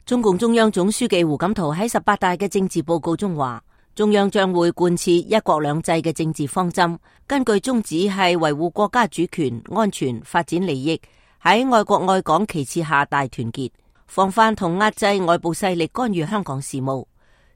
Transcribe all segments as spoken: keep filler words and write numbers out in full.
中共中央總書記胡錦濤喺十八大嘅政治報告中話，中央將會貫徹一國兩制嘅政治方針，根據宗旨係維護國家主權、安全、發展利益，喺愛國愛港旗幟下大團結，防範同壓制外部勢力干預香港事務。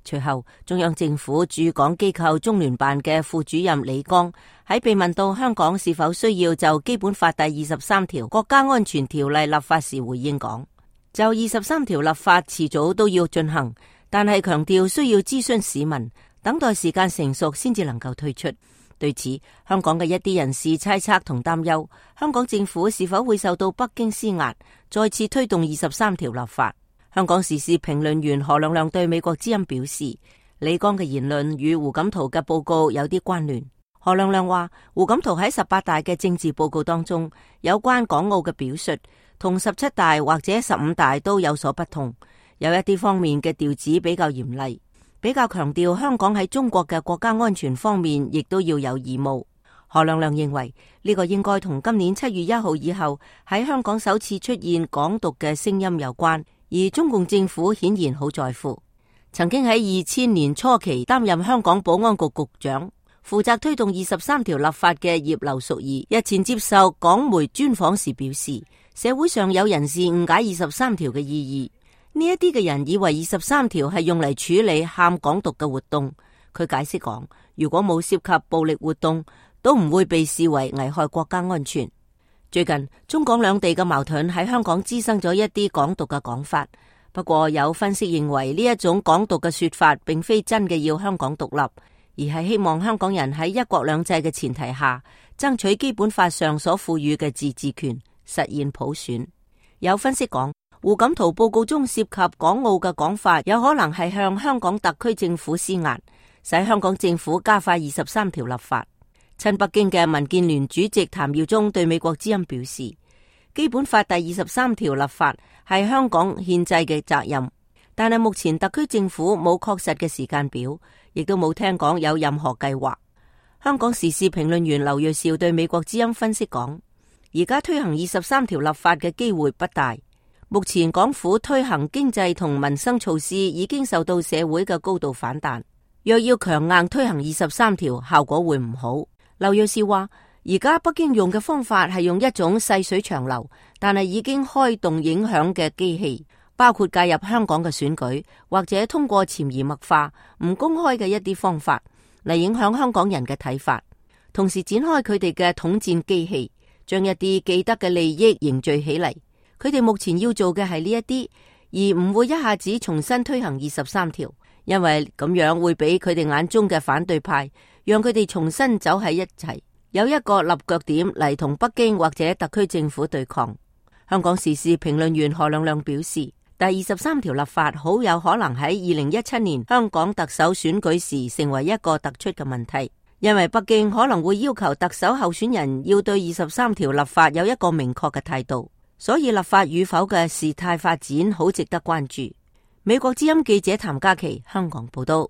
隨後，中央政府駐港機構中聯辦嘅副主任李剛喺被問到香港是否需要就基本法第二十三條國家安全條例立法時回應講，就二十三條立法遲早都要進行，但係強調需要諮詢市民，等待時間成熟先至能夠推出。對此，香港嘅一啲人士猜測同擔憂，香港政府是否會受到北京施壓，再次推動二十三條立法。香港時事評論員何亮亮對美國之音表示，李剛嘅言論與胡錦濤嘅報告有啲關聯。何亮亮話，胡錦濤喺十八大嘅政治報告當中，有關港澳嘅表述同十七大或者十五大都有所不同，有一啲方面嘅調子比較嚴厲，比較強調香港喺中國嘅國家安全方面亦都要有義務。何亮亮認為呢個應該同今年七月一號以後喺香港首次出現港獨嘅聲音有關，而中共政府顯然好在乎。曾經喺二千年初期擔任香港保安局局長，負責推動二十三條立法嘅葉劉淑儀日前接受港媒專訪時表示，社會上有人士誤解二十三條嘅意義，呢一啲嘅人以為二十三條係用嚟處理喊港獨嘅活動。佢解釋講，如果冇涉及暴力活動，都唔會被視為危害國家安全。最近中港兩地嘅矛盾喺香港滋生咗一啲港獨嘅講法，不過有分析認為呢一種港獨嘅說法並非真嘅要香港獨立，而係希望香港人喺一國兩制嘅前提下，爭取基本法上所賦予嘅自治權，實現普選。有分析講，胡錦濤報告中涉及港澳嘅講法，有可能係向香港特區政府施壓，使香港政府加快二十三條立法。親北京嘅民建聯主席譚耀宗對美國之音表示，基本法第二十三條立法係香港憲制嘅責任，但係目前特區政府冇確實嘅時間表，亦都冇聽講有任何計劃。香港時事評論員劉銳紹對美國之音分析講，而家推行二十三條立法嘅機會不大，目前港府推行經濟同民生措施已經受到社會嘅高度反彈，若要強硬推行二十三條，效果會唔好。劉銳紹話，而家北京用嘅方法係用一種細水長流，但係已經開動影響嘅機器，包括介入香港嘅選舉，或者通過潛移默化、唔公開嘅一啲方法嚟影響香港人嘅睇法，同時展開佢哋嘅統戰機器，將一啲既得嘅利益凝聚起嚟。佢哋目前要做嘅係呢一啲，而唔會一下子重新推行二十三條，因為咁樣會俾佢哋眼中嘅反對派，讓佢哋重新走喺一齊，有一個立腳點嚟同北京或者特區政府對抗。香港時事評論員何亮亮表示，第二十三條立法好有可能喺二零一七年香港特首選舉時成為一個突出嘅問題，因為北京可能會要求特首候選人要對二十三條立法有一個明確嘅態度，所以立法與否嘅事態發展好值得關注。美國之音記者譚嘉琪香港報道。